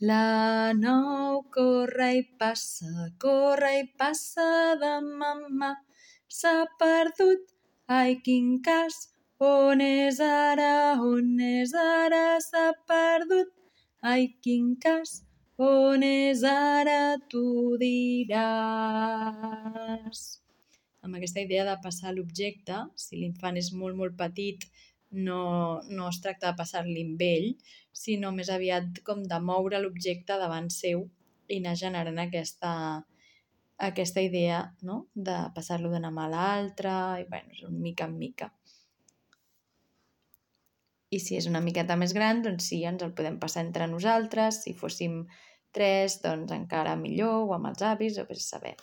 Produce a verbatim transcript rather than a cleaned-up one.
La nou corre i passa, corre i passa de mamà. S'ha perdut, ai quin cas, on és ara, on és ara? S'ha perdut, ai quin cas, on és ara? Tu diràs. Amb aquesta idea de passar l'objecte, si l'infant és molt, molt petit, no, no es tracta de passar-li amb ell, sinó més aviat com de moure l'objecte davant seu i anar generant aquesta, aquesta idea, no? De passar-lo d'una mà a l'altra, i bueno, és un mica en mica. I si és una miqueta més gran, doncs sí, ens el podem passar entre nosaltres. Si fóssim tres, doncs encara millor, o amb els avis, o vés a saber.